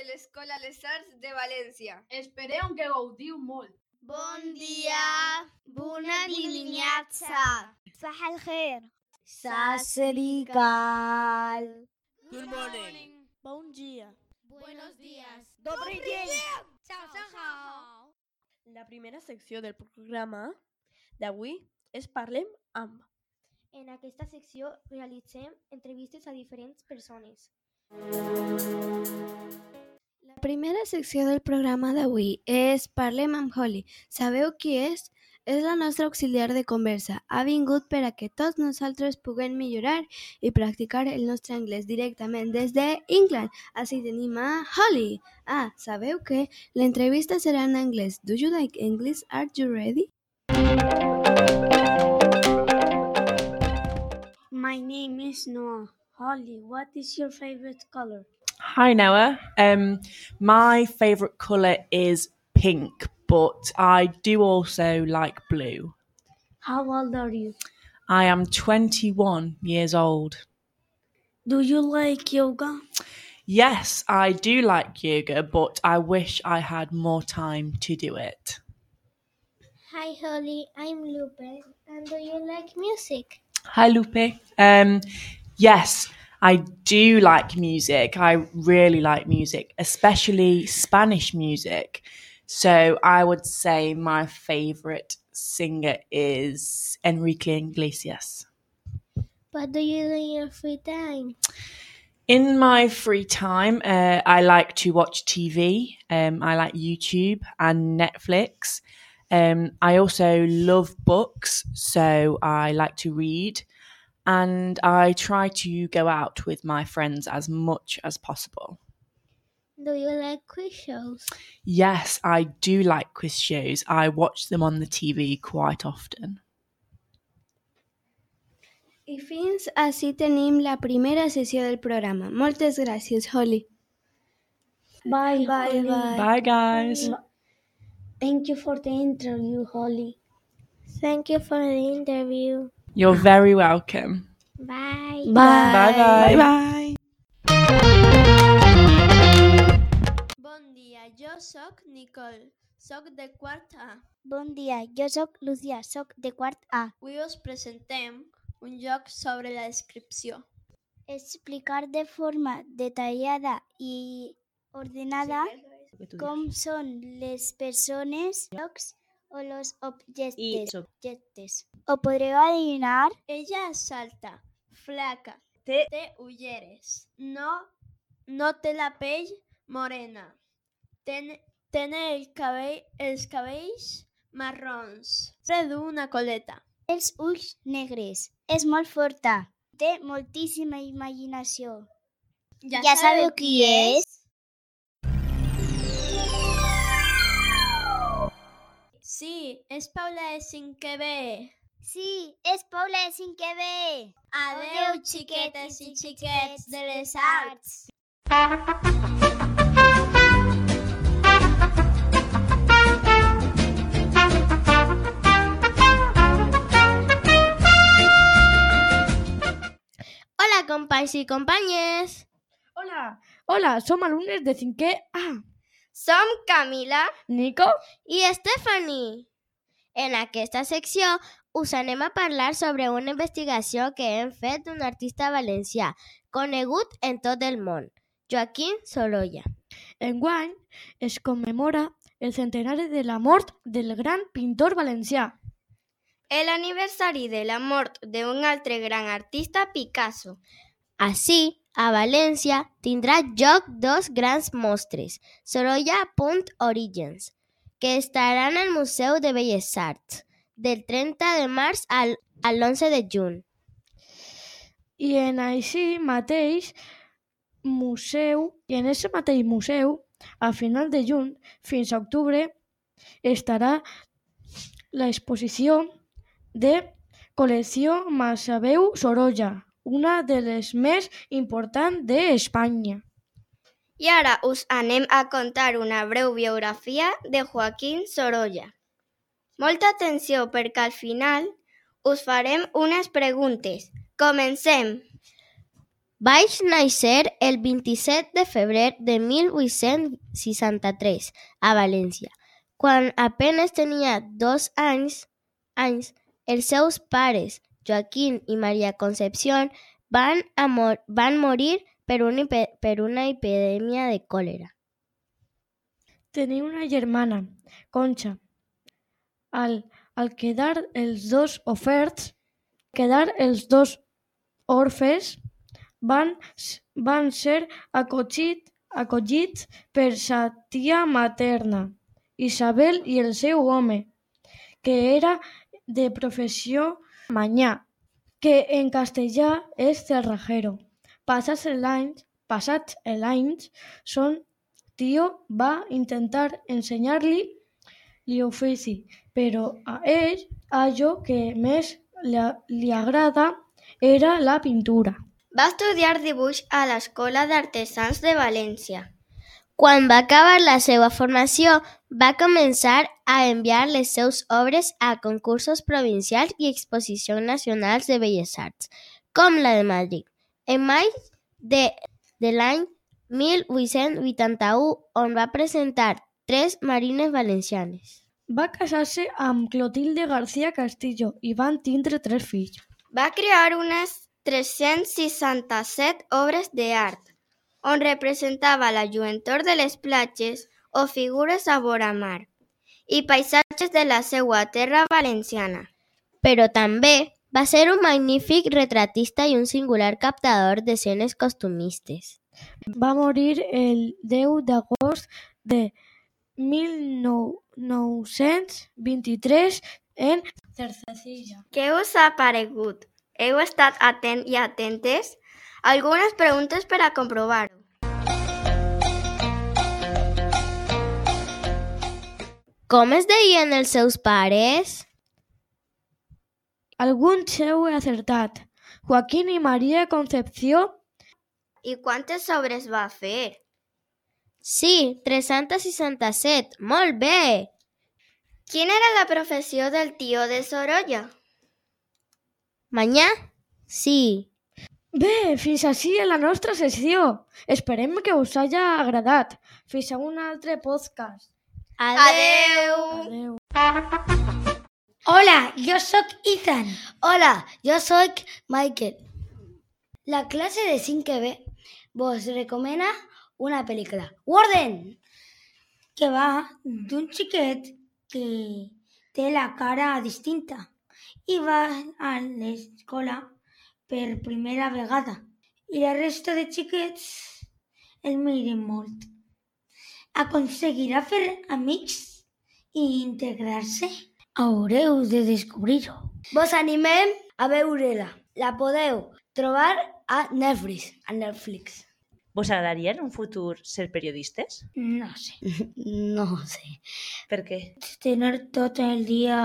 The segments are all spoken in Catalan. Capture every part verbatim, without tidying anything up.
l'Escola Les Arts de València. Esperem que gaudiu molt. Bon dia, bona dimineața. صباح الخير. Sasrikal. Good morning. Bon dia. Buenos días. Dobry dzień. Ciao, ciao. La primera secció del programa d'avui és Parlem amb. En aquesta secció realitzem entrevistes a diferents persones. La primera secció del programa d'avui és Parlem amb Holly. Sabeu qui és? És la nostra auxiliar de conversa. Ha vingut per a que tots nosaltres puguem millorar i practicar el nostre anglès directament des d'England. Així tenim a Holly. Ah, sabeu que l'entrevista serà en anglès. Do you like English? Are you ready? My name is Noah. Holly, what is your favorite color? Hi Noah. Um, my favourite colour is pink, but I do also like blue. How old are you? I am twenty-one years old. Do you like yoga? Yes, I do like yoga, but I wish I had more time to do it. Hi Holly, I'm Lupe. And do you like music? Hi Lupe. Um, yes, I do like music. I really like music, especially Spanish music. So I would say my favourite singer is Enrique Iglesias. What do you do in your free time? In my free time, uh, I like to watch T V. Um, I like YouTube and Netflix. Um, I also love books, so I like to read. And I try to go out with my friends as much as possible. Do you like quiz shows? Yes, I do like quiz shows. I watch them on the T V quite often. I fins així tenim la primera sessió del programa. Moltes gràcies, Holly. Bye, Bye, Holly. bye. Bye, guys. Thank you for the interview, Holly. Thank you for the interview. You're very welcome. Bye. Bye. Bye, guys. Bye, bye. Bon dia, jo sóc Nicole, sóc de quart A. Bon dia, jo sóc Lucía, sóc de quart A. Avui us presentem un joc sobre la descripció. Explicar de forma detallada i ordenada com són les persones, llocs o los objectes. objectes. ¿O podreu adivinar? Ella es alta, flaca, té, té ulleres, no, no té la pell morena, ten, tiene el cabell, els cabells marrons, du una coleta. Els ulls negres. És molt forta. Té moltíssima imaginació. Ja, Ja sabeu qui és? Sí, és Paula de cinquè B. Sí, és Paula de cinquè B. Adeu, xiquetes i xiquets de les arts. Hola, companys i companyes. Hola, hola, som alumnes de cinquè A. Som Camila Nico? i Stephanie. En aquesta secció us anem a parlar sobre una investigació que hem fet d'un artista valencià conegut en tot el món, Joaquín Sorolla. Enguany es commemora el centenari de la mort del gran pintor valencià. L'aniversari de la mort d'un altre gran artista, Picasso. Així, a València tindrà lloc dos grans mostres, Sorolla.Origins, que estaran al Museu de Belles Arts, del trenta de març al, a l'onze de juny. I en així mateix museu, i en aquest mateix museu, a final de juny fins a octubre, estarà l'exposició de col·lecció Masaveu Sorolla, una de les més importants d'Espanya. I ara us anem a contar una breu biografia de Joaquín Sorolla. Molta atenció perquè al final us farem unes preguntes. Comencem! Vaig néixer el vint-i-set de febrer de mil vuit-cents seixanta-tres a València. Quan apenas tenia dos anys, anys, els seus pares, Joaquín i Maria Concepción, van, a mor van morir per una, per una epidèmia de còlera. Tenia una germana, Concha. Al, al quedar els dos oferts, quedar els dos orfes, van, van ser acollits, acollits per sa tia materna, Isabel, i el seu home, que era de professió manyà, que en castellà és cerrajero. Passats els anys, passats els anys, son tio va intentar ensenyar-li l'ofici, però a ell allò que més li, li agrada era la pintura. Va estudiar dibuix a l'Escola d'Artesans de València. Quan va acabar la seva formació, va començar a enviar les seves obres a concursos provincials i exposicions nacionals de belles arts, com la de Madrid. En maig de, de l'any mil vuit-cents vuitanta-u, on va presentar Tres marines valencianes. Va casar-se amb Clotilde García Castillo i van tindre tres fills. Va crear unes tres-cents seixanta-set obres d'art, on representava la lluentor de les platges o figures a vora mar, i paisatges de la seva terra valenciana. Però també va ser un magnífic retratista i un singular captador d'escenes costumistes. Va morir el deu d'agost de mil nou-cents vint-i-tres en Cercesilla. Què us ha paregut? Heu estat atent i atentes? Algunes preguntes per a comprovar-ho. Com es deien els seus pares? Alguns heu acertat. Joaquín i Maria Concepció. I quantes obres va fer? Sí, tres-cents seixanta-set. Molt bé! Quina era la professió del tio de Sorolla? Manyà? Sí. Bé, fins així en la nostra sessió. Esperem que us hagi agradat. Fins a un altre podcast. Adeu! Adeu. Hola, yo soy Ethan. Hola, yo soy Michael. La clase de cinco B vos recomienda una película. ¡Warden! Que va d'un xiquet que té la cara distinta i va a l'escola per primera vegada. I la resta de xiquets el miren molt. Aconseguirà fer amics i integrar-se? Haureu de descobrir-ho. Vos animem a veure-la. La podeu trobar a Netflix. A Netflix. Vos agradaria en un futur ser periodistes? No sé. No sé. Per què? Tener tot el dia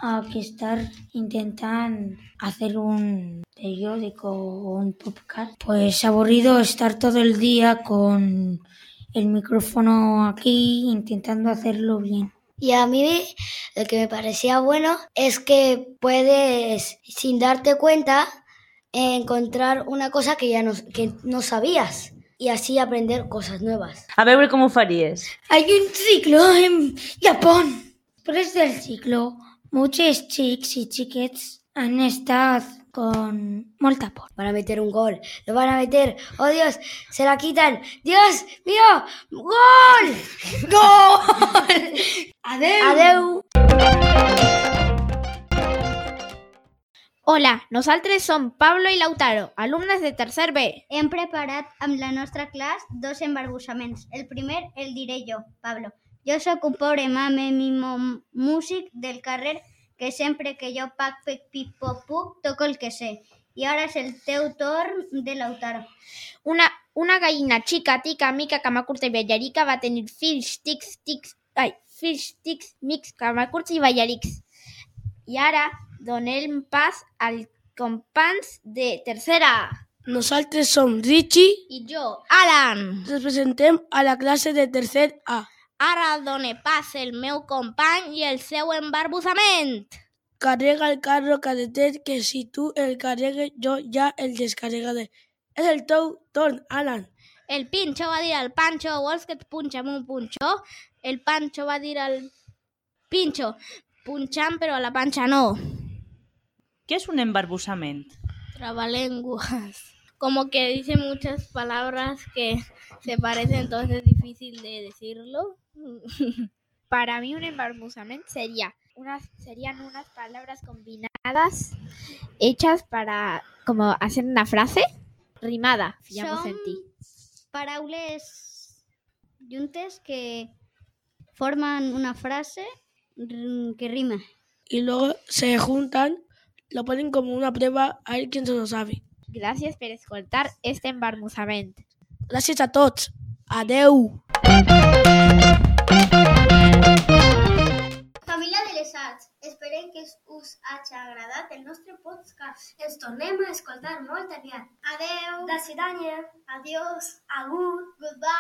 a que estar intentant hacer un periódico o un podcast. Pues aburrido estar todo el día con el micrófono aquí intentando hacerlo bien. Y a mí lo que me parecía bueno es que puedes, sin darte cuenta, encontrar una cosa que ya no, que no sabías y así aprender cosas nuevas. A veure com ho faries. Hay un ciclo en Japón. Después del ciclo, muchos chicos y chiquets han estado con molta por. Van a meter un gol, lo van a meter, oh Dios, se la quitan, Dios mío, gol, gol. Adeu. Adeu. Hola, nosaltres som Pablo i Lautaro, alumnes de tercer B. Hem preparat amb la nostra classe dos embarbussaments. El primer el diré jo, Pablo. Jo sóc un pobre mame mimo músic del carrer que sempre que jo pac, pec, pip, pop, puc, toco el que sé. I ara és el teu torn de Lautaro. Una, una gallina xica, tica, mica, cama curta i ballarica va tenir fills, tics, tics, ai, fills, tics, mics, cama curta i ballarics. I ara donem pas als companys de tercera A. Nosaltres som Richie i jo, Alan. Representem a la classe de tercer A. Ara done pas el meu company i el seu embarbussament. Carrega el carro cadetet, que si tu el carregues jo ja el descarregaré. És el teu torn, Alan. El Pinxo va dir al Panxo, vols que et punxa amb un punxó? El Panxo va dir al Pinxo, punxant però a la panxa no. ¿Qué es un embarbusament? Trabalenguas. Como que dice muchas palabras que se parecen, entonces es difícil de decirlo. Para mí un embarbusament sería unas, serían unas palabras combinadas hechas para como hacer una frase rimada, fiamos en ti. Paraules juntes que forman una frase que rima. Y luego se juntan, lo ponen como una prueba a ver quién se lo sabe. Gràcies per escoltar este embarbusament. Gràcies a tots. Adeu. Família de les Arts, esperem que us hagi agradat el nostre podcast. Ens tornem a escoltar molt aviat. Adeu. Da Sidanya. Adiós. Agur. Goodbye.